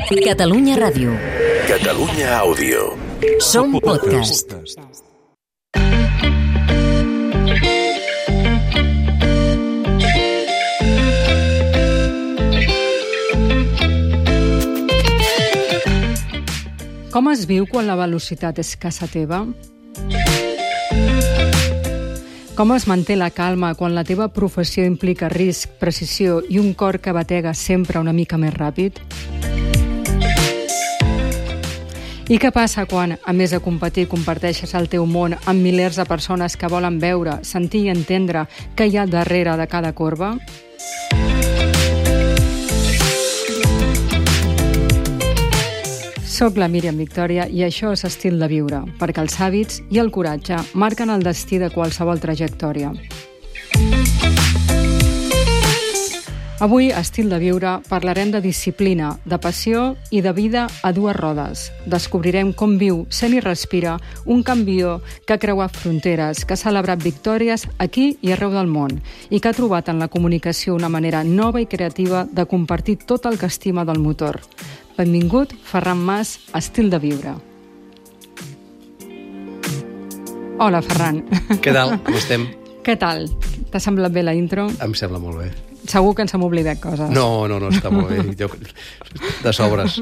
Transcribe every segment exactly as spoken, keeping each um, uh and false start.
Catalunya Ràdio. Catalunya Àudio. Som podcast. Com es viu quan la velocitat és casa teva? Com es manté la calma quan la teva professió implica risc, precisió i un cor que batega sempre una mica més ràpid? I què passa quan, a més de competir, comparteixes el teu món amb milers de persones que volen veure, sentir i entendre què hi ha darrere de cada corba? Soc la Míriam Victòria i això és Estil de Viure, perquè els hàbits i el coratge marquen el destí de qualsevol trajectòria. Avui, a Estil de Viure, parlarem de disciplina, de passió i de vida a dues rodes. Descobrirem com viu, sent i respira, un campió que ha creuat fronteres, que ha celebrat victòries aquí i arreu del món i que ha trobat en la comunicació una manera nova i creativa de compartir tot el que estima del motor. Benvingut, Ferran Mas, a Estil de Viure. Hola, Ferran. Què tal? Com estem? Què tal? T'ha semblat bé la intro? Em sembla molt bé. Segur que ens hem oblidat coses. No, no, no, està molt bé. Jo, de sobres.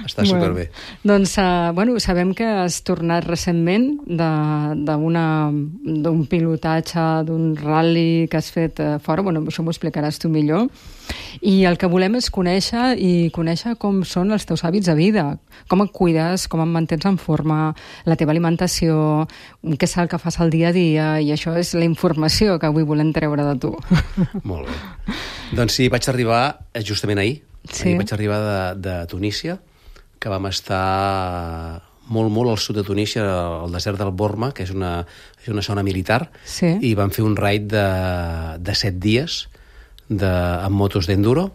Està bueno, superbé. Doncs, uh, bueno, sabem que has tornat recentment d'un pilotatge, d'un rally que has fet uh, fora. Bueno, això m'ho explicaràs tu millor. I el que volem és conèixer i conèixer com són els teus hàbits de vida. Com et cuides, com et mantens en forma, la teva alimentació, què és el que fas al dia a dia, i això és la informació que avui volem treure de tu. Molt bé. Doncs sí, vaig arribar justament ahir. Sí. Ahir vaig arribar de, de Tunísia, que vam estar molt, molt al sud de Tunísia, al desert del Borma, que és una, és una zona militar, sí. I vam fer un raid de, de set dies de, amb motos d'enduro,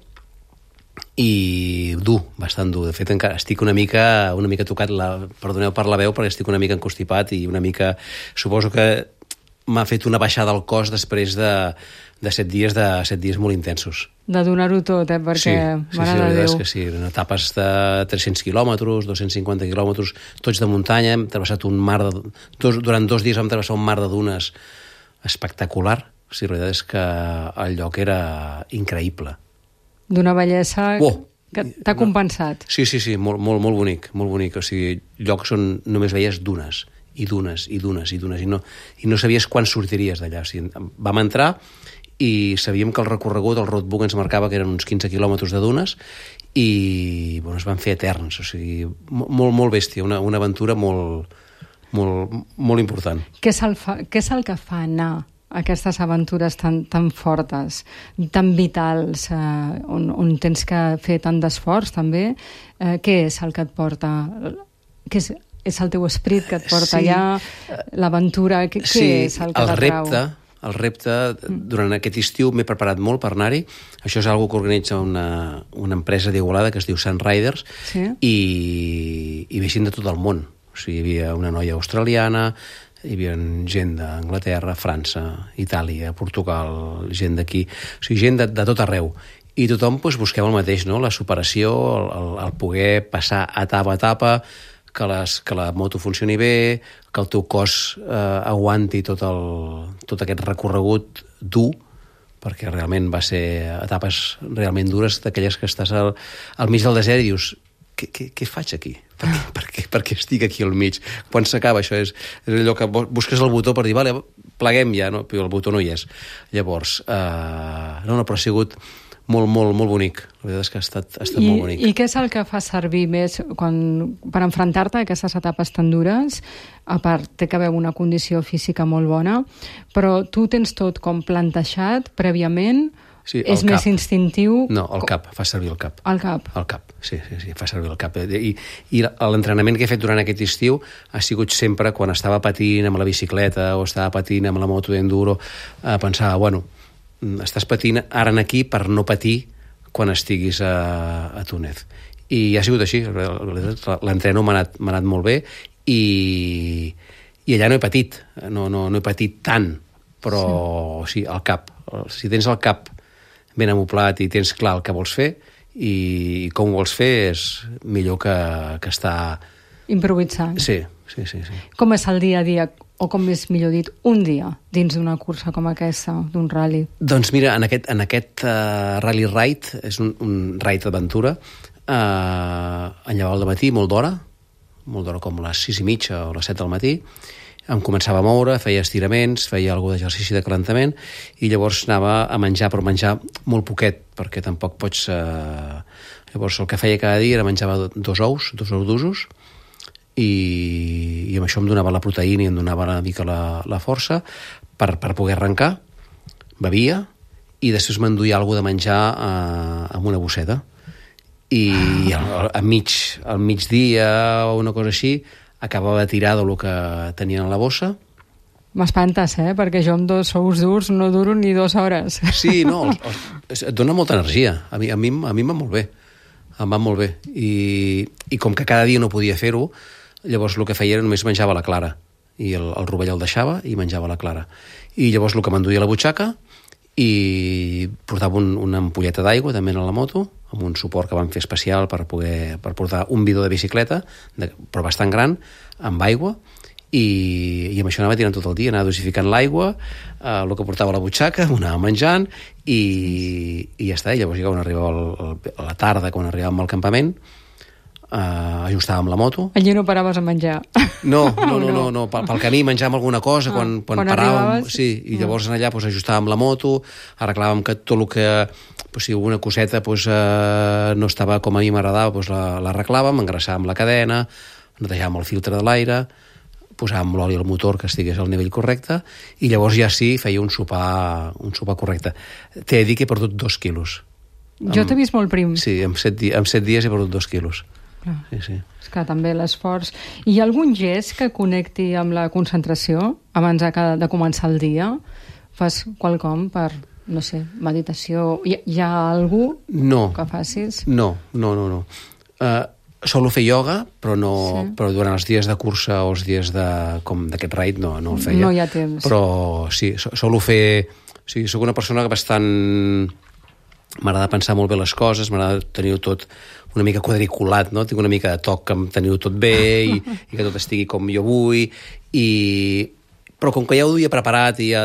i dur, bastant dur. De fet, encara estic una mica, una mica tocat, la, perdoneu per la veu, perquè estic una mica encostipat i una mica... Suposo que m'ha fet una baixada al cos després de, de set dies de set dies molt intensos. De donar-ho tot, eh? Perquè, sí, sí, mare sí, de la veritat Déu. És que sí, en etapes de tres-cents quilòmetres, dos-cents cinquanta quilòmetres, tots de muntanya, hem travessat un mar de... Dos, durant dos dies vam travessar un mar de dunes espectacular. O sigui, la veritat és que el lloc era increïble. D'una bellesa oh, que t'ha compensat. Sí, sí, sí, molt, molt, molt bonic, molt bonic. O sigui, llocs on només veies dunes, i dunes, i dunes, i dunes, i no, i no sabies quan sortiries d'allà. O sigui, vam entrar i sabíem que el recorregut, el roadbook ens marcava que eren uns quinze quilòmetres de dunes, i bueno, es van fer eterns. O sigui, molt, molt bèstia, una, una aventura molt, molt, molt important. Què és el, fa, què és el que fa anar aquestes aventures tan, tan fortes, tan vitals, eh, on, on tens que fer tant d'esforç també? Eh, què és el que et porta? Què és, és el teu esperit que et porta sí. allà? L'aventura? Què, sí, què és el que el t'atrau? repte, el repte, durant aquest estiu m'he preparat molt per anar-hi. Això és una cosa que organitza una, una empresa d'Igualada que es diu Sun Riders, sí? i, i ve gent de tot el món. O sigui, hi havia una noia australiana, hi havia gent d'Anglaterra, França, Itàlia, Portugal, gent d'aquí, o sigui, gent de, de tot arreu. I tothom doncs, busquem el mateix, no? La superació, el, el, el poder passar etapa a etapa, que, les, que la moto funcioni bé, que el teu cos eh, aguanti tot, el, tot aquest recorregut dur, perquè realment va ser etapes realment dures, d'aquelles que estàs al, al mig del desert i dius, què, què, què faig aquí? Per què, per, què, per què estic aquí al mig? Quan s'acaba això? És, és allò que busques el botó per dir, vale, pleguem ja, no? Però el botó no hi és. Llavors, eh, no, no, però ha sigut molt, molt, molt bonic. La veritat és que ha estat, ha estat I, molt bonic. I què és el que fa servir més quan, per enfrontar-te a aquestes etapes tan dures? A part, té que haver una condició física molt bona, però tu tens tot com plantejat prèviament. Sí, és cap. Més instintiu? No, el cap, fa servir el cap. El cap? El cap, sí, sí, sí, fa servir el cap. I, i l'entrenament que he fet durant aquest estiu ha sigut sempre quan estava patint amb la bicicleta o estava patint amb la moto d'enduro, eh, pensava, bueno, estàs patint ara aquí per no patir quan estiguis a, a Túnez. I ha sigut així, l'entreno m'ha anat, m'ha anat molt bé i, i allà no he patit, no, no, no he patit tant, però sí, sí el cap. Si tens el cap ben amoplat i tens clar el que vols fer i com ho vols fer és millor que, que estar... Improvisant. Sí, sí, sí, sí. Com és el dia a dia, o com és millor dit, un dia dins d'una cursa com aquesta, d'un rally? Doncs mira, en aquest, en aquest uh, rally ride, és un, un ride d'aventura, uh, en llevava al matí molt d'hora, molt d'hora com les sis i mitja o les set del matí, em començava a moure, feia estiraments, feia alguna d'exercici de calentament i llavors anava a menjar, però menjar molt poquet, perquè tampoc pots... Eh... Llavors el que feia cada dia era menjava dos ous, dos ous d'usos, i, i amb això em donava la proteïna i em donava una mica la, la força per, per poder arrencar, bevia, i després m'enduia alguna de menjar eh, amb una bosseta. I al, al, mig, al migdia o una cosa així acabava de tirar del que tenia en la bossa. M'espantes, eh? Perquè jo amb dos ous durs no duro ni dues hores. Sí, no, els, els, et dona molta energia. A mi, a mi, a mi em va molt bé. Em va molt bé. I, i com que cada dia no podia fer-ho, llavors el que feia era només menjava la clara. I el, el rovell el deixava i menjava la clara. I llavors el que m'enduia a la butxaca i portava un, una ampolleta d'aigua també a la moto, amb un suport que vam fer especial per poder per portar un bidó de bicicleta, de, però bastant gran, amb aigua, i, i amb això anava tirant tot el dia, anava dosificant l'aigua, eh, el que portava a la butxaca, ho anava menjant, i, i ja està. I llavors, quan arribava el, el, a la tarda, quan arribàvem al campament, Uh, ajustàvem la moto. Allí no paraves a menjar. No, no, no, no, no. Pel, pel camí menjàvem alguna cosa, ah, quan, quan, quan paràvem, arribaves... sí, i llavors en allà pues, ajustàvem la moto, arreglàvem que tot el que, pues, si alguna coseta pues, uh, no estava com a mi m'agradava, pues, l'arreglàvem, engraçàvem la cadena, netejàvem el filtre de l'aire, posàvem l'oli al motor que estigués al nivell correcte, i llavors ja sí feia un sopar, un sopar correcte. T'he de dir que he perdut dos quilos. Jo t'he vist molt prim. Sí, en set, di en set dies he perdut dos quilos. Clar. Sí, sí. És que també l'esforç... Hi ha algun gest que connecti amb la concentració abans de, de començar el dia? Fas quelcom per, no sé, meditació? Hi, hi ha algú no. que facis? No, no, no. no. Uh, solo fer ioga, però, no, sí. però durant els dies de cursa o els dies de, com d'aquest raid no, no el feia. No hi ha temps. Però sí, solo fer... O sigui, soc una persona que bastant... M'agrada pensar molt bé les coses, m'agrada tenir tot una mica quadriculat, no? Tinc una mica de toc que em teniu tot bé i, i que tot estigui com jo vull, i... però com que ja ho duia preparat i ja,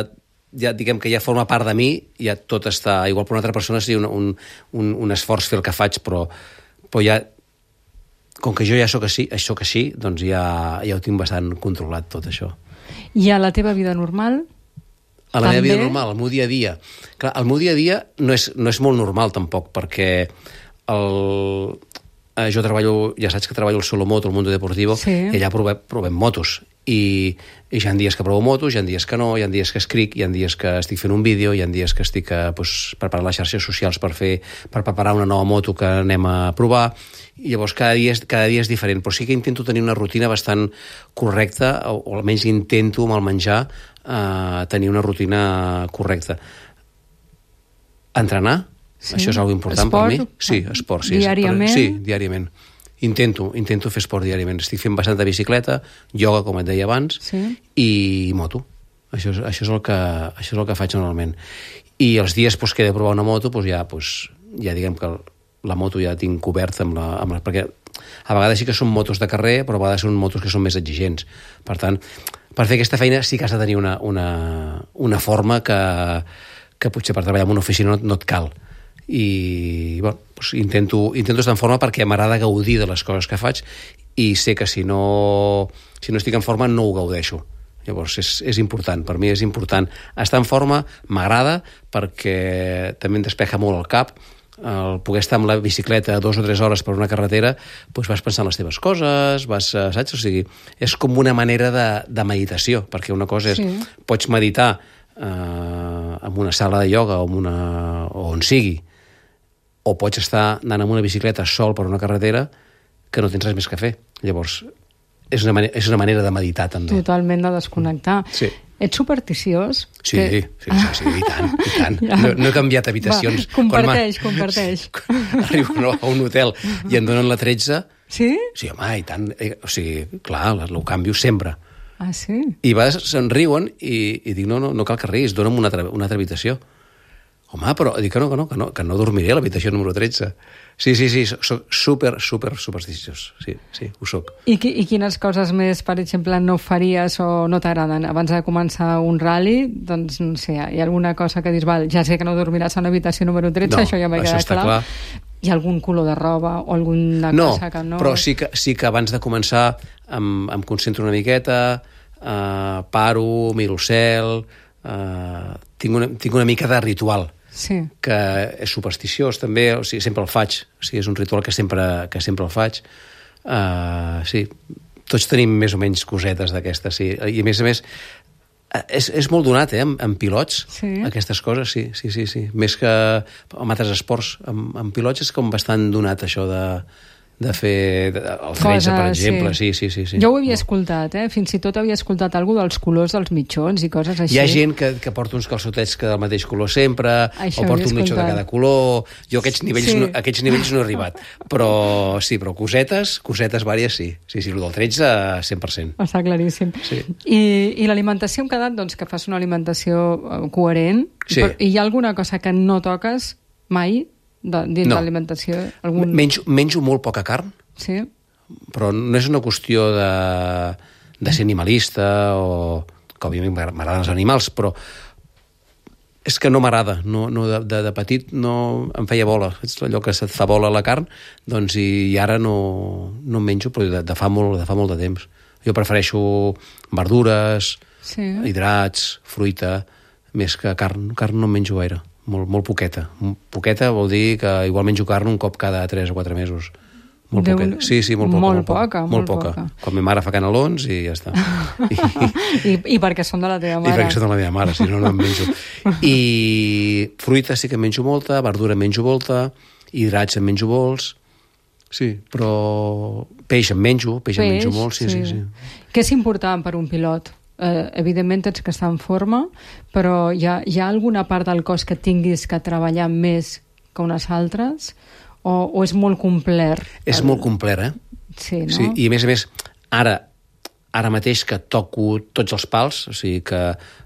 ja diguem que ja forma part de mi, ja tot està... Igual per una altra persona seria un, un, un, un esforç fer el que faig, però, però ja... Com que jo ja sóc així, sóc així, doncs ja, ja ho tinc bastant controlat, tot això. I a la teva vida normal... A la també? meva vida normal, al meu dia a dia. Clar, el meu dia a dia no és, no és molt normal, tampoc, perquè el... eh, jo treballo, ja saps que treballo al Solomoto, al Mundo Deportivo, sí. I allà provem, provem motos. I, I hi ha dies que provo motos, hi ha dies que no, hi ha dies que escric, hi ha dies que estic fent un vídeo, hi ha dies que estic eh, pues, preparant les xarxes socials per, fer, per preparar una nova moto que anem a provar. I llavors cada dia, és, cada dia és diferent, però sí que intento tenir una rutina bastant correcta, o, o almenys intento amb el menjar eh, tenir una rutina correcta. Entrenar, sí. Això és una cosa important esport, per mi. Sí, esport, sí. Diàriament? Sí, diàriament. Intento, intento fer esport diàriament. Estic fent bastanta bicicleta, ioga, com et deia abans, sí. I moto. Això és, això, és el que, això és el que faig normalment. I els dies pues, que he de provar una moto, pues, ja, pues, ja diguem que la moto ja tinc coberta amb la, amb la... Perquè a vegades sí que són motos de carrer, però a vegades són motos que són més exigents. Per tant, per fer aquesta feina sí que has de tenir una, una, una forma que, que potser per treballar en una oficina no, no et cal. I bueno, doncs intento, intento estar en forma perquè m'agrada gaudir de les coses que faig i sé que si no, si no estic en forma no ho gaudeixo. Llavors és, és important, per mi és important estar en forma, m'agrada perquè també em despeja molt el cap, el poder estar amb la bicicleta dos o tres hores per una carretera, doncs vas pensant les teves coses, vas, saps? O sigui, és com una manera de, de meditació, perquè una cosa és, sí. Pots meditar eh, en una sala de ioga o, en una, o on sigui, o pots estar anant amb una bicicleta sol per una carretera que no tens res més que fer. Llavors, és una, manera, és una manera de meditar, també. Totalment de desconnectar. Sí. Ets supersticiós? Sí, que... sí, sí, sí, i tant, i tant. Ja. No, no he canviat habitacions. Va, comparteix, quan comparteix. Arribo no, a un hotel i em donen la tretze... Sí? Sí, home, i tant. O sigui, clar, ho canvio sempre. Ah, sí? I a vegades se'n riuen i, i dic, no, no, no cal que riguis, dona'm una altra, una altra habitació. Home, però dic que no, que no, que no, que no dormiré a l'habitació número tretze. Sí, sí, sí, soc super, super supersticiós. Sí, sí, ho soc. I, qui, I quines coses més, per exemple, no faries o no t'agraden? Abans de començar un rally, doncs, no sé, hi ha alguna cosa que dius, val, ja sé que no dormiràs a l'habitació número tretze, no, això ja m'ha quedat clar. clar. Hi ha algun color de roba o alguna no, cosa que no... No, però sí que, sí que abans de començar em, em concentro una miqueta, eh, paro, miro el cel, eh, tinc, una, tinc una mica de ritual. Sí. Que és supersticiós també, o sigui, sempre el faig, o sigui, és un ritual que sempre, que sempre el faig. Uh, sí, tots tenim més o menys cosetes d'aquestes, sí. I a més a més, és, és molt donat, eh, amb, amb pilots, sí. Aquestes coses, sí, sí, sí, sí. Més que amb altres esports, amb, amb pilots és com bastant donat això de... de fer de, el tretze, per exemple. Sí. Sí, sí, sí, sí. Jo ho havia no. escoltat, eh? Fins i tot havia escoltat alguna dels colors dels mitjons i coses així. Hi ha gent que, que porta uns calçotets que del mateix color sempre, això o porta un mitjó de cada color. Jo a aquests nivells, sí. no, a aquests nivells no he arribat. Però sí, però cosetes, cosetes vàries sí. Sí, sí, el del tretze, cent per cent. Està claríssim. Sí. I, i l'alimentació hem quedat doncs, que fas una alimentació coherent. Sí. Però, i hi ha alguna cosa que no toques mai? De, dins no. l'alimentació? Algun... Menjo, menjo molt poca carn, sí. Però no és una qüestió de, de ser animalista o que òbviament m'agraden els animals, però és que no m'agrada. No, no, de, de, de petit no em feia bola. És allò que se't fa bola la carn, doncs i, i ara no, no en menjo, però de, de, fa molt, de fa molt de temps. Jo prefereixo verdures, sí. Hidrats, fruita, més que carn. Carn no en menjo gaire. Molt, molt poqueta. Poqueta vol dir que igual menjo carn un cop cada tres o quatre mesos. Molt Déu... poqueta. Sí, sí, molt poca. Molt, molt poca, poca. Molt poca. poca. Quan ma mare fa canelons i ja està. I, I, I perquè són de la teva mare. I perquè són de la meva mare, si no, no en menjo. I fruita sí que en menjo molta, verdura en menjo molta, hidrats en menjo molts, sí, però peix en menjo, peix, peix en menjo molt, sí, sí, sí. sí. Què és important per un pilot? Eh, evidentment tens que estar en forma, però hi ha, hi ha alguna part del cos que tinguis que treballar més que unes altres? O, o és molt complet? És el... molt complet, eh? Sí, no? Sí, i a més a més, ara, ara mateix que toco tots els pals, o sigui que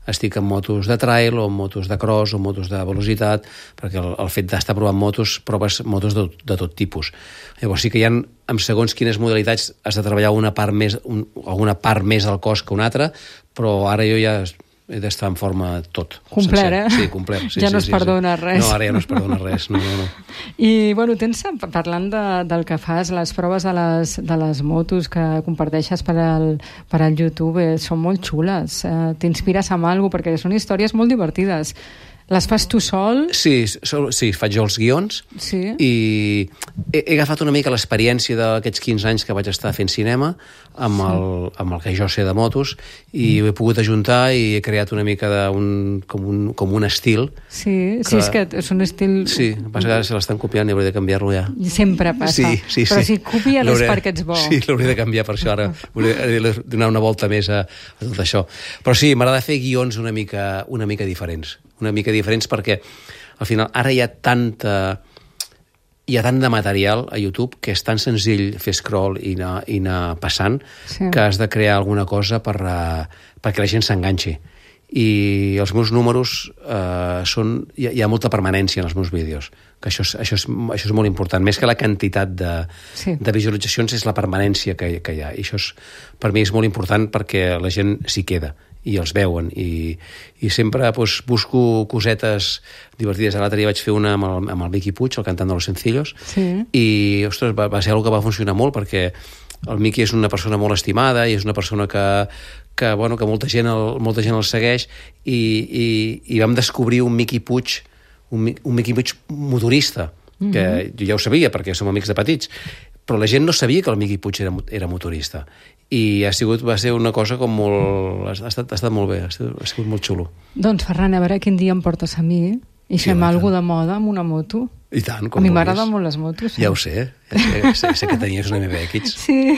estic en motos de trail o en motos de cross o en motos de velocitat, perquè el, el fet d'estar provant motos, proves motos de, de tot tipus. Llavors sí que hi ha, en segons quines modalitats has de treballar una part més, un, alguna part més del cos que una altra, però ara jo ja he d'estar en forma tot. Complet, sencer. eh? Sí, complet. Sí, ja sí, no es sí, perdona sí. res. No, ara ja no es perdona res. No, no, no. I, bueno, tens, parlant de, del que fas, les proves de les, de les motos que comparteixes per al, per al YouTube, eh, són molt xules. Eh, T'inspires amb alguna cosa, perquè són històries molt divertides. Les fas tu sol? Sí, sol, sí, faig jo els guions, sí. I he, he agafat una mica l'experiència d'aquests quinze anys que vaig estar fent cinema amb, sí. el, amb el que jo sé de motos i mm. ho he pogut ajuntar i he creat una mica de un, com, un, com un estil. Sí, que, sí, és que és un estil... Sí, passa que ara se l'estan copiant i hauré de canviar-lo ja. Sempre passa. Sí, sí, Però sí. si copies és perquè ets bo. Sí, l'hauré de canviar per això ara. Hauré de donar una volta més a, a tot això. Però sí, m'agrada fer guions una mica, una mica diferents. una mica diferents perquè al final ara hi ha tanta hi ha tant de material a YouTube que és tan senzill fer scroll i anar, i anar passant sí. que has de crear alguna cosa per, uh, perquè la gent s'enganxi. I els meus números uh, són... Hi ha, hi ha molta permanència en els meus vídeos, que això és, això és, això és molt important. Més que la quantitat de, sí. de visualitzacions és la permanència que, que hi ha. I això és, per mi és molt important perquè la gent s'hi queda i els veuen, i, i sempre doncs, busco cosetes divertides. L'altre dia vaig fer una amb el, amb el Miqui Puig, el cantant de Los Sencillos, sí. i ostres, va, va ser una cosa que va funcionar molt, perquè el Miqui és una persona molt estimada i és una persona que, que, bueno, que molta, gent el, molta gent el segueix, i, i, i vam descobrir un Miqui Puig, un, un Miqui Puig motorista, mm-hmm. que jo ja ho sabia perquè som amics de petits, però la gent no sabia que el Miqui Puig era, era motorista. I ha sigut, va ser una cosa com molt... Ha estat, ha estat molt bé, ha sigut, ha sigut molt xulo. Doncs, Ferran, a veure quin dia em portes a mi i fem sí, alguna de moda amb una moto. I tant, com a mi m'agraden molt les motos. Eh? Ja ho sé, ja sé, sé, sé que tenies una M B X. Sí,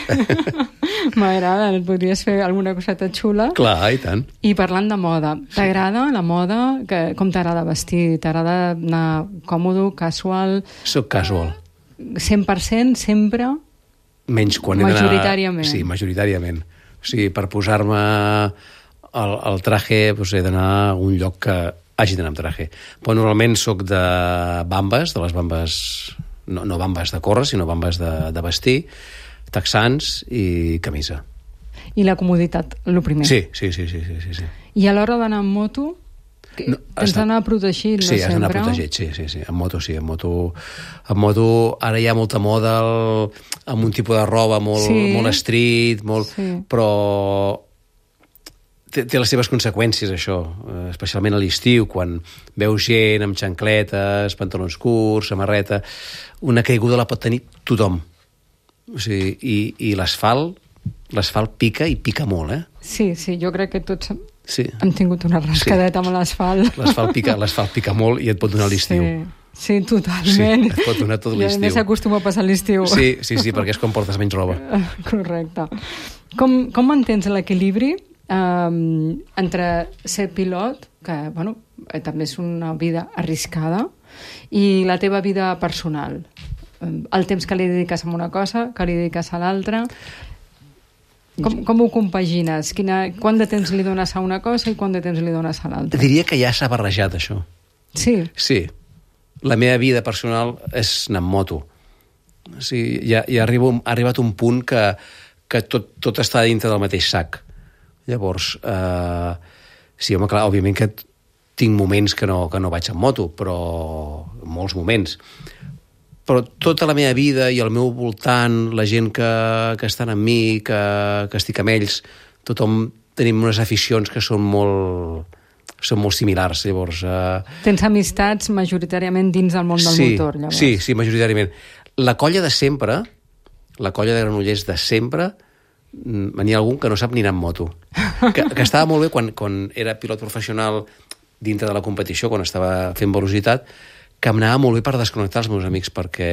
m'agrada, podries fer alguna coseta xula. Clar, i tant. I parlant de moda, t'agrada la moda? Que, com t'agrada vestir? T'agrada anar còmode, casual? Soc casual. cent per cent, sempre? Menys quan he d'anar... Majoritàriament. Sí, majoritàriament. O sigui, per posar-me el, el traje doncs he d'anar a un lloc que hagi d'anar amb traje. Però normalment soc de bambes, de les bambes, no, no bambes de córrer, sinó bambes de, de vestir, texans i camisa. I la comoditat, el primer. Sí, sí, sí, sí, sí, sí, sí. I a l'hora d'anar amb moto, no, tens d'anar protegit, no sí, sempre? Sí, has d'anar protegit, sí, sí, sí. En moto, sí, en moto... En moto ara hi ha molta moda el, amb un tipus de roba molt, sí. molt street, molt, sí. però té, té les seves conseqüències, això, especialment a l'estiu, quan veus gent amb xancletes, pantalons curts, samarreta... Una caiguda la pot tenir tothom. O sigui, i, i l'asfalt l'asfalt pica i pica molt, eh? Sí, sí, jo crec que tots sí. hem tingut una rascadeta sí. amb l'asfalt. L'asfalt pica, l'asfalt pica molt i et pot donar l'estiu. Sí, sí, totalment. Sí, et pot donar tot l'estiu. I a més s'acostuma a passar l'estiu. Sí, sí, sí, perquè és quan portes menys roba. Correcte. Com, com mantens l'equilibri um, entre ser pilot, que, bueno, també és una vida arriscada, i la teva vida personal? El temps que li dediques a una cosa, que li dediques a l'altra... Com, com ho compagines? Quina, quant de temps li dones a una cosa i quant de temps li dones a l'altra? Diria que ja s'ha barrejat, això. Sí? Sí. La meva vida personal és anar amb moto. O sigui, ja, ja arribo, ha arribat un punt que, que tot, tot està dintre del mateix sac. Llavors, eh, sí, home, clar, òbviament que tinc moments que no, que no vaig amb moto, però molts moments. Però tota la meva vida i al meu voltant, la gent que, que estan amb mi, que, que estic amb ells, tothom tenim unes aficions que són molt, són molt similars. Llavors, eh... Tens amistats majoritàriament dins del món del sí, motor, llavors. Sí, sí, majoritàriament. La colla de sempre, la colla de Granollers de sempre, n'hi ha algun que no sap ni anar amb moto. Que, que estava molt bé quan, quan era pilot professional dintre de la competició, quan estava fent velocitat, que em anava molt bé per desconnectar els meus amics, perquè,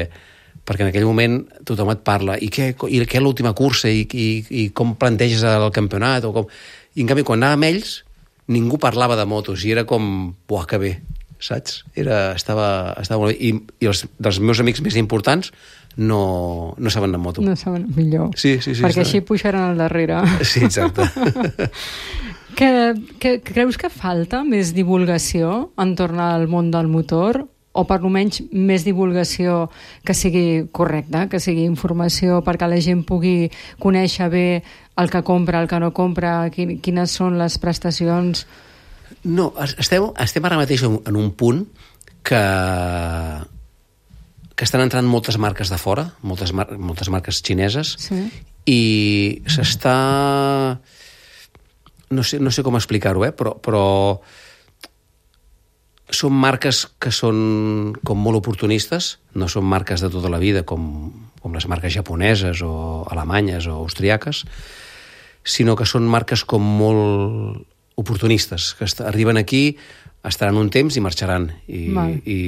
perquè en aquell moment tothom et parla, i què, i què l'última cursa, i, i, i com planteges el campionat, o com... I en canvi, quan anava amb ells, ningú parlava de motos, i era com, buah, que bé, saps? Era, estava, estava molt bé. I, i els dels meus amics més importants no, no saben de moto. No saben, millor. Sí, sí, sí. Perquè així pujaran al darrere. Sí, exacte. que, que, creus que falta més divulgació entorn al món del motor? O per almenys més divulgació que sigui correcta, que sigui informació perquè la gent pugui conèixer bé el que compra, el que no compra, quines són les prestacions? No, estem, estem ara mateix en un punt que, que estan entrant moltes marques de fora, moltes, mar, moltes marques xineses, sí. I s'està... No sé, no sé com explicar-ho, eh? però... però són marques que són com molt oportunistes, no són marques de tota la vida com, com les marques japoneses o alemanyes o austriaques, sinó que són marques com molt oportunistes, que arriben aquí, estaran un temps i marxaran, i, i,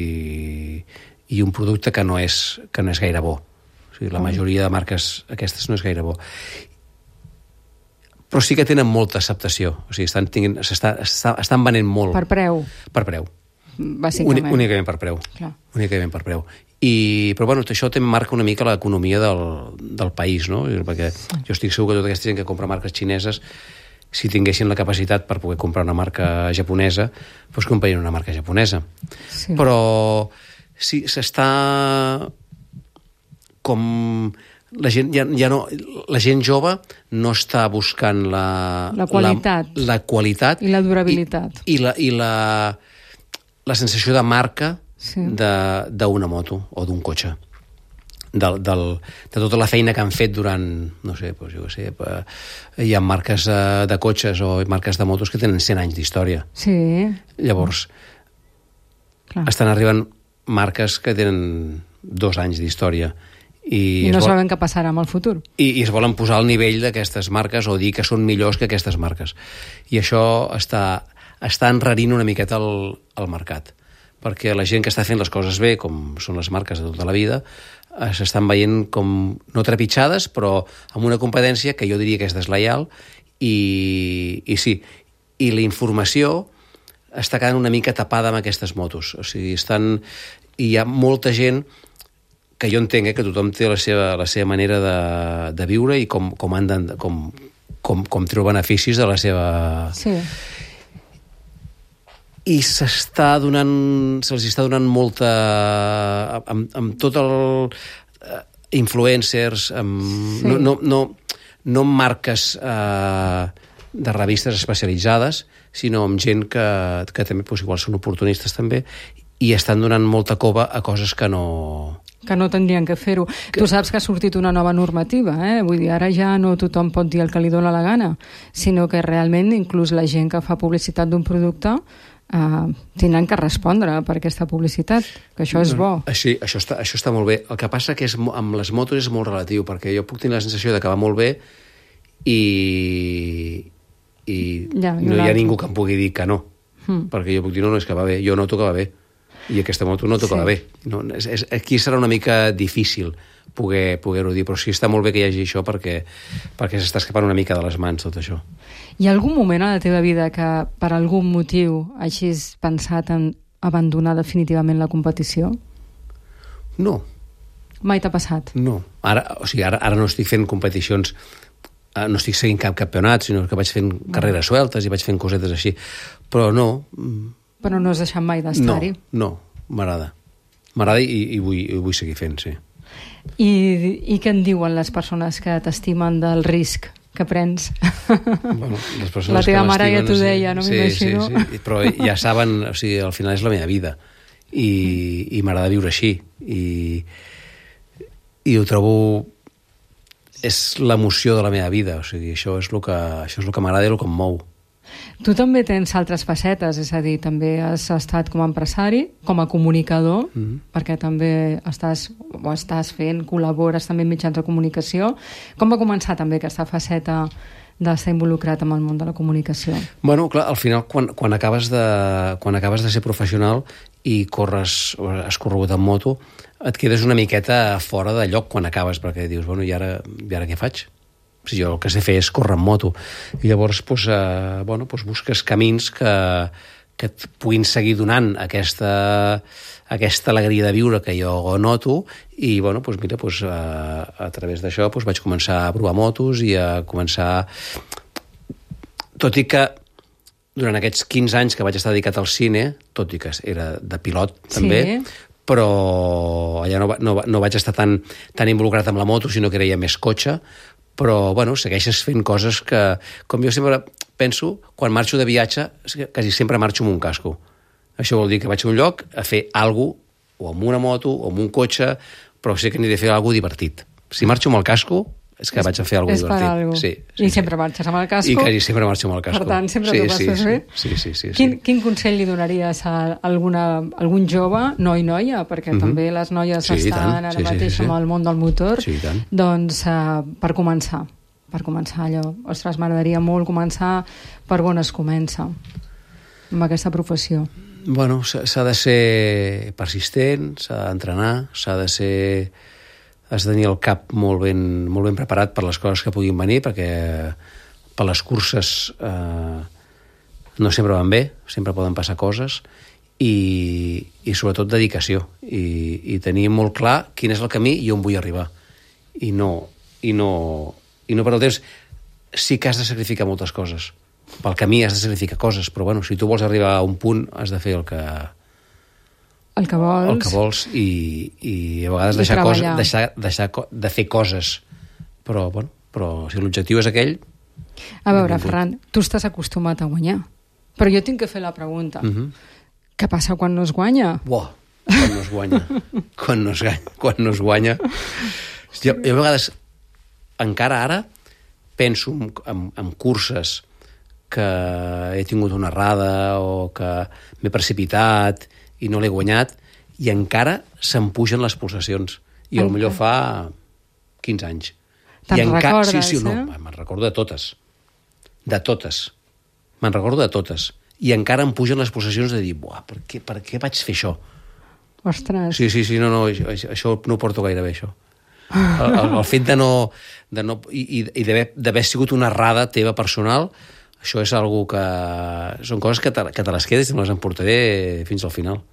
i un producte que no és, que no és gaire bo. O sigui, la majoria de marques aquestes no és gaire bo. Però sí que tenen molta acceptació, o sigui, estan, tinguin, estan, estan venent molt. Per preu? Per preu. Bàsicament. Únicament per preu. Clar. Únicament per preu. I, però bueno, això també marca una mica l'economia del, del país, no? Perquè jo estic segur que tota aquesta gent que compra marques xineses, si tinguessin la capacitat per poder comprar una marca japonesa, doncs comprarien una marca japonesa. Sí. Però sí, s'està com... La gent, ja, ja no, la gent jove no està buscant la... La qualitat. La, la qualitat. I la durabilitat. I, i la... I la la sensació de marca sí. d'una moto o d'un cotxe. Del, del, de tota la feina que han fet durant, no sé, doncs jo sé, hi ha marques de cotxes o marques de motos que tenen cent anys d'història. Sí. Llavors, clar. Estan arribant marques que tenen dos anys d'història. I, I no vol... saben què passarà amb el futur. I, I es volen posar al nivell d'aquestes marques o dir que són millors que aquestes marques. I això està... està enrarint una miqueta el, el mercat, perquè la gent que està fent les coses bé, com són les marques de tota la vida, eh, s'estan veient com, no trepitjades, però amb una competència que jo diria que és deslleial, i, i sí, i la informació està quedant una mica tapada amb aquestes motos. O sigui, estan... I hi ha molta gent que jo entenc eh, que tothom té la seva, la seva manera de, de viure i com, com, han de, com, com, com treu beneficis de la seva... Sí. i s'està donant, se'ls està donant molta... amb, amb tot el... Uh, influencers, amb, sí. no, no, no, no amb marques uh, de revistes especialitzades, sinó amb gent que, que també pues, igual són oportunistes també, i estan donant molta cova a coses que no... Que no tindrien que fer-ho. Que... Tu saps que ha sortit una nova normativa, eh? Vull dir, ara ja no tothom pot dir el que li dóna la gana, sinó que realment inclús la gent que fa publicitat d'un producte eh, tindran que respondre per aquesta publicitat, que això és bo. Així, això, està, això està molt bé. El que passa que és, amb les motos és molt relatiu, perquè jo puc tenir la sensació de que va molt bé i, i ja, no hi ha ningú que em pugui dir que no. Mm. Perquè jo puc dir, no, no, és que va bé, jo noto que va bé. I aquesta moto no tocava sí. bé. No, és, és, aquí serà una mica difícil poder, poder-ho dir, però sí està molt bé que hi hagi això perquè, perquè s'està escapant una mica de les mans tot això. Hi ha algun moment a la teva vida que per algun motiu hagis pensat en abandonar definitivament la competició? No. Mai t'ha passat? No. Ara, o sigui, ara, ara no estic fent competicions, no estic seguint cap campionat, sinó que vaig fent carreres sueltes i vaig fent cosetes així. Però no... Però no has deixat mai d'estar-hi? No, no, m'agrada. M'agrada i, i, vull, i vull seguir fent, sí. I, I què en diuen les persones que t'estimen del risc que prens? Bueno, les persones la teva que mare ja t'ho sí, deia, no sí, m'imagino. Sí, sí, però ja saben, o sigui, al final és la meva vida i, mm. i m'agrada viure així i, i ho trobo és l'emoció de la meva vida, o sigui, això és el que, això és el que m'agrada i el que em mou. Tu també tens altres facetes, és a dir, també has estat com a empresari, com a comunicador, mm-hmm. perquè també estàs, o estàs fent, col·labores també en mitjans de comunicació. Com va començar també aquesta faceta d'estar involucrat amb el món de la comunicació? Bueno, clar, al final, quan, quan, acabes de, quan acabes de ser professional i corres, has corregut en moto, et quedes una miqueta fora de lloc quan acabes, perquè dius, bueno, i ara, i ara què faig? O sigui, jo el que sé fer és córrer en moto. I llavors pues, eh, bueno, pues busques camins que, que et puguin seguir donant aquesta, aquesta alegria de viure que jo noto i bueno, pues, mira, pues, a, a través d'això pues, vaig començar a provar motos i a començar... Tot i que durant aquests quinze anys que vaig estar dedicat al cine, tot i que era de pilot també, sí. però allà no, no, no vaig estar tan, tan involucrat amb la moto, sinó que era ja més cotxe, però, bueno, segueixes fent coses que, com jo sempre penso, quan marxo de viatge, quasi sempre marxo amb un casco. Això vol dir que vaig a un lloc a fer alguna cosa, o amb una moto, o amb un cotxe, però sé que n'he de fer alguna cosa divertit. Si marxo amb el casco, és que vaig a fer alguna cosa divertit. Sí, sí, I sí. sempre marxes amb el casco. I quasi sempre marxo amb el casco. Per tant, sempre sí, t'ho passes sí, bé. Sí, sí, sí, sí, quin, sí. quin consell li donaries a alguna, algun jove, noi noia, perquè mm-hmm. també les noies sí, estan ara sí, mateix sí, sí, sí. amb el món del motor, sí, doncs uh, per començar, per començar allò. Ostres, m'agradaria molt començar per on es comença amb aquesta professió. Bueno, s'ha de ser persistent, s'ha d'entrenar, s'ha de ser... has de tenir el cap molt ben, molt ben preparat per les coses que puguin venir, perquè per les curses eh, no sempre van bé, sempre poden passar coses, i, i sobretot dedicació, i, i tenir molt clar quin és el camí i on vull arribar. I no, i no, i no per el temps. Sí que has de sacrificar moltes coses. Pel camí has de sacrificar coses, però bueno, si tu vols arribar a un punt, has de fer el que... El que vols. El que vols i, i a vegades deixar, coses, deixar, deixar de fer coses. Però, bueno, però si l'objectiu és aquell... A veure, Ferran, tu estàs acostumat a guanyar, però jo tinc que fer la pregunta. Uh-huh. Què passa quan no es guanya? Buah, quan no es guanya. quan, no es guanya quan no es guanya. Jo, jo a vegades, encara ara, penso en, en, en curses que he tingut una errada o que m'he precipitat i no l'he guanyat, i encara se'm pugen les pulsacions. I potser fa quinze anys. Te'n encara... recordes, sí, sí, no, eh? me'n recordo de totes. De totes. Me'n recordo de totes. I encara em pugen les pulsacions de dir, buah, per què, per què vaig fer això? Ostres. Sí, sí, sí, no, no, això, això no ho porto gaire bé, això. El, el, el fet de no... De no i i d'haver sigut una errada teva personal, això és algo que... Són coses que te, que te les quedes i me les emportaré fins al final.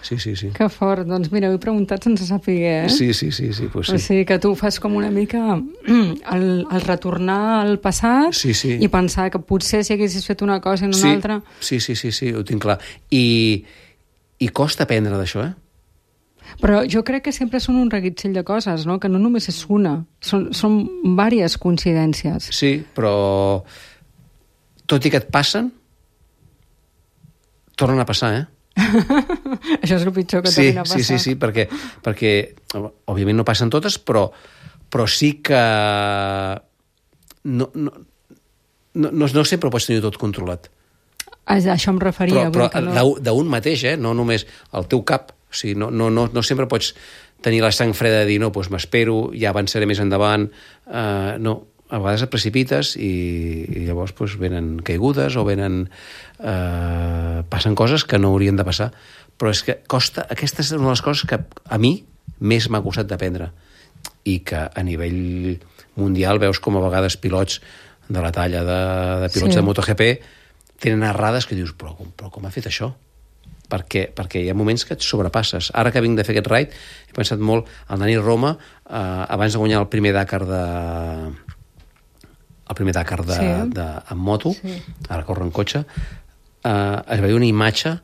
Sí, sí, sí. Que fort. Doncs mira, ho he preguntat sense saber, eh? Sí, sí, sí, sí, pues sí. O sigui que tu fas com una mica el, el retornar al passat sí, sí. i pensar que potser si haguessis fet una cosa en una sí, altra... Sí, sí, sí, sí, ho tinc clar. I, i costa aprendre d'això, eh? Però jo crec que sempre són un reguitzell de coses, no? Que no només és una, són, són diverses coincidències. Sí, però tot i que et passen, tornen a passar, eh? Això és el pitjor que sí, t'arriba a passar. Sí, sí, sí, perquè, perquè òbviament no passen totes, però, però sí que no, no, no, no sempre ho pots tenir tot controlat. A això em referia. Però, però no... d'un mateix, eh? No només el teu cap. O sigui, no, no, no, no sempre pots tenir la sang freda de dir no, doncs m'espero, ja avançaré més endavant. Uh, no, a vegades et precipites i, i llavors doncs, venen caigudes o venen... Uh, passen coses que no haurien de passar. Però és que costa... Aquesta és una de les coses que a mi més m'ha costat d'aprendre i que a nivell mundial veus com a vegades pilots de la talla de, de pilots sí. de MotoGP tenen errades que dius, però, però com ha fet això? Perquè, perquè hi ha moments que et sobrepasses. Ara que vinc de fer aquest ride, he pensat molt al Dani Roma, eh, abans de guanyar el primer Dakar de... el primer Dakar de, sí. de, en moto, sí. ara corre en cotxe, eh, es veia una imatge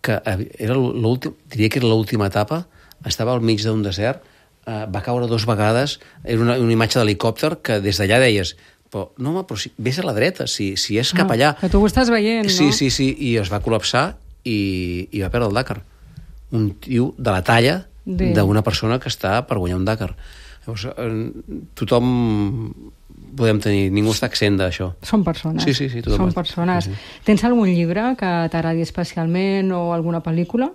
que era l'últim, diria que era l'última etapa, estava al mig d'un desert, eh, va caure dues vegades, era una, una imatge d'helicòpter que des d'allà deies però, no, home, però si, vés a la dreta, si, si és cap allà... Ah, que tu ho estàs veient, sí, no? Sí, sí, i es va col·lapsar i, i va perdre el Dakar. Un tio de la talla d'una persona que està per guanyar un Dakar. Llavors, eh, tothom podem tenir... Ningú està accent d'això. Són persones. Sí, sí, sí. Tothom Són està. persones. Sí, sí. Tens algun llibre que t'agradi especialment o alguna pel·lícula?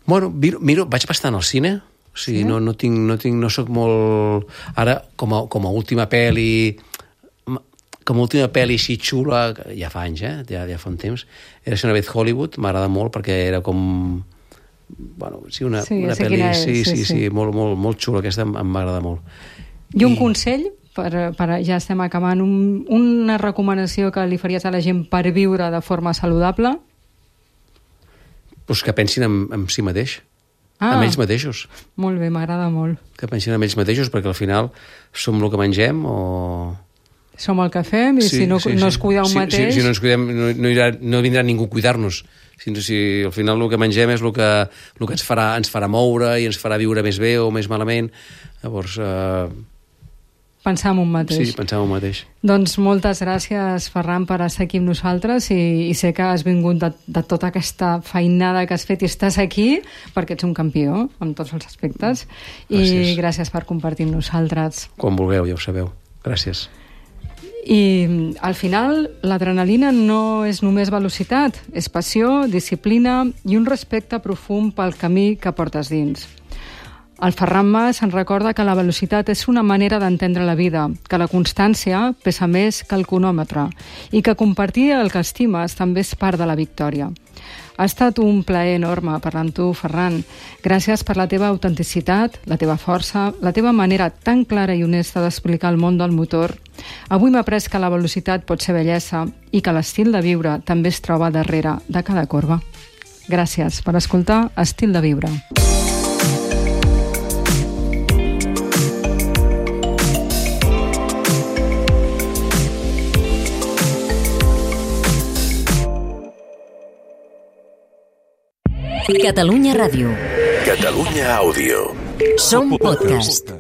Bueno, miro, miro vaig bastant al cine. O sigui, sí? no, no tinc, no tinc, no soc molt... Ara, com a, com a última pel·li, com a última pel·li així xula, ja fa anys, eh? Ja, ja fa un temps, era Una vez Hollywood, m'agrada molt perquè era com... Bueno, sí, una, sí, una pel·li... És, sí, sí, sí, sí, sí, molt, molt, molt xula, aquesta em, em va agradar molt. I un I... consell, per, per, ja estem acabant, un, una recomanació que li faries a la gent per viure de forma saludable? Pues que pensin en, en si mateix. Ah, amb ells mateixos. Molt bé, m'agrada molt. Que pensin en ells mateixos, perquè al final som el que mengem o... Som el que fem i sí, si no, sí, no es cuida un sí, mateix... Sí, si no ens cuidem, no, no, irà, no vindrà ningú a cuidar-nos. Si, si al final el que mengem és el que, el que ens, farà, ens farà moure i ens farà viure més bé o més malament. Llavors... Eh... Pensar en un mateix. Sí, pensar en un mateix. Doncs moltes gràcies, Ferran, per estar aquí amb nosaltres i, i sé que has vingut de, de tota aquesta feinada que has fet i estàs aquí perquè ets un campió en tots els aspectes. Gràcies. I gràcies per compartir amb nosaltres. Quan vulgueu, ja ho sabeu. Gràcies. I al final l'adrenalina no és només velocitat, és passió, disciplina i un respecte profund pel camí que portes dins. El Ferran Mas ens recorda que la velocitat és una manera d'entendre la vida, que la constància pesa més que el cronòmetre i que compartir el que estimes també és part de la victòria. Ha estat un plaer enorme parlar amb tu, Ferran. Gràcies per la teva autenticitat, la teva força, la teva manera tan clara i honesta d'explicar el món del motor. Avui m'ha après que la velocitat pot ser bellesa i que l'estil de viure també es troba darrere de cada corba. Gràcies per escoltar Estil de Viure. Catalunya Ràdio. Catalunya Àudio. Som podcast.